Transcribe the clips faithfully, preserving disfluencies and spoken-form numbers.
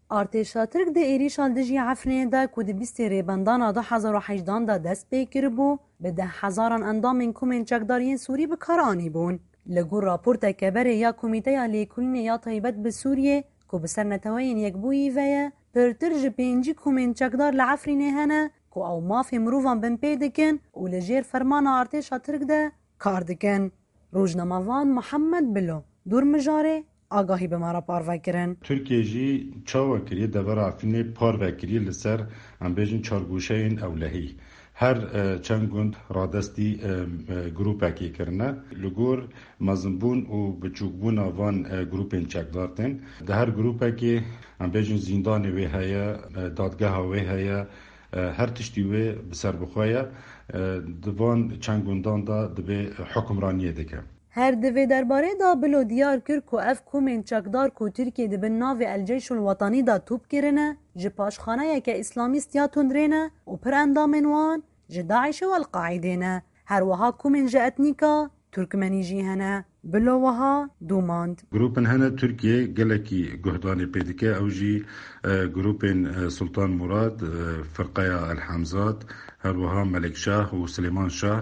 Artêşa Tirk di êrîşa li dijî Efrînê de ku di bîstê Rêbendana du hezar û hejdan de dest pê kiribû, bi deh hezaran endamên komên çekdar yên Sûrî bi kar anîbûn. Li gor raporteke berê ya Komîteya Lêkolînê ya Taybet bi Sûriyê, ku bi ser Neteweyên Yekbûyî ve ye, pirtir ji pêncî komên çekdar li Efrînê hene ku ew mafê mirovan binpê dikin û li jêr fermana artêşa Tirk de kar dikin. Rojnamevan Muhammed Bilo, Dûrmijarê, agahî bi me re parve kirin. Tirkiye jî çawa kiriye, devera Efrînê parve kiriye li ser, em bêjin, çargoşeyên ewlehî. Her, e, çend gund radestî, e, e, grûpekê kirine. Li gor mezinbûn û biçûkbûna van, e, grûpên çekdar tên. Di her grûpekê, em bêjin, zîndanê wê heye, e, dadgeha wê heye, e, her tiştî wê bi ser bixwe ye. E, di van çend gundan de dibê hukimraniyê dike. Her di vê derbarê de Bilo diyar kir ku ev komên çekdar ku Tirkiye di bin navê El Ceyşul Wetanî de top kirine, ji paşxaneyeke îslamîst ya tundrê ne û pir endamên wan ji DAIŞ û El-Qaîdê ne. Her wiha komên ji etnîka Turkmenî jî hene. Bilo wiha domand. Grûpên hene Tirkiye gelekî guhdanê pê dike, ew jî, e, grûpên, e, Sultan Murad, e, Firqeya El Hemzat, her wiha Melik Şah û Silêman Şah.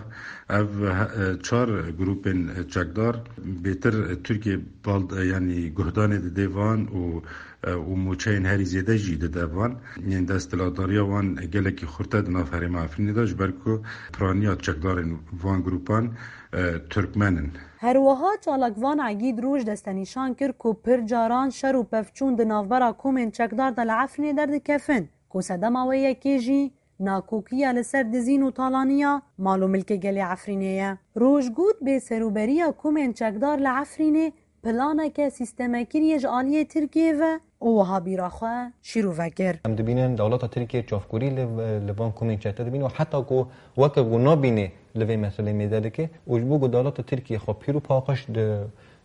Ev, e, çar grûpên çekdar bêtir Tirkiye bal, e, yanî guhdanê dide van û, e, û mûçeyên herî zêde jî dide van. Yên desthilatdariya wan gelekî xurt e di nav herêma Efrînê de, ji ber ku piraniya çekdarên van grûpan, e, Turkmen in. Her wiha çalakvan Egîd Roj destenîşan kir ku pir caran şer û pevçûn di navbera komên çekdar de li Efrînê derdikevin, ku sedema wê yekê jî nakokiya li ser dizîn û talaniya mal û milkê gelê Efrînê ye. Roj got, bêserûberiya komên çekdar li Efrînê planeke sîstemekirî ye ji aliyê Tirkiyê ve û wiha bîra xwe şîrove kir. Em dibînin dewleta Tirkiye çavkûrî li, li van komên çekdar dibîne û heta ku weke ku nabîne li vê meselê mêze dike û ji bo ku dewleta Tirkiye xwe pîr û paqij di,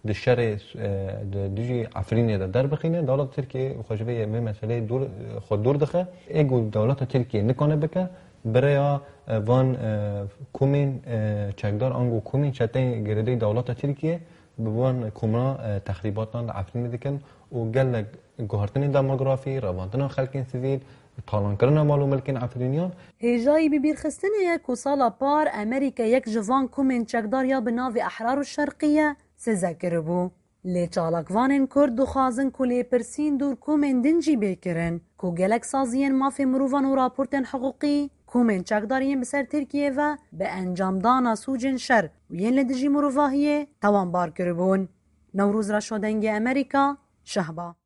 di şerê, e, di dijî Efrînê de derbixîne, dewleta Tirkiye xwe ji vê, vê meseleyê dûr, xwe dûr dixe. Ê ku dewleta Tirkiye nikane bike, bi rêya, e, van, e, komên, e, çekdar ango komên çeteyên girêdayî dewleta Tirkiye bi van komra, e, texrîbatan li Efrînê dikin û gelek guhertinên demografî, revandina xelkên sivîl, talankirina mal û milkên Efrîniyan. Hêjayî bibîrxistinê ye ku sala par Amerîka yek ji van komên çekdar ya bi navê Ehrar û Şerqiye size kiribû. Lê çalakvanên Kurd dixwazin ku lêpirsîn dûr komên din jî bê kirin, ku gelek saziyên mafê mirovan û raportên hiqûqî komên çekdar yên bi ser Tirkiyê ve bi encamdana sûcên şer û yên li dijî mirovahiyê tewanbar kiribûn. Newroz Reşo, Dengê Amerîka, Şehba.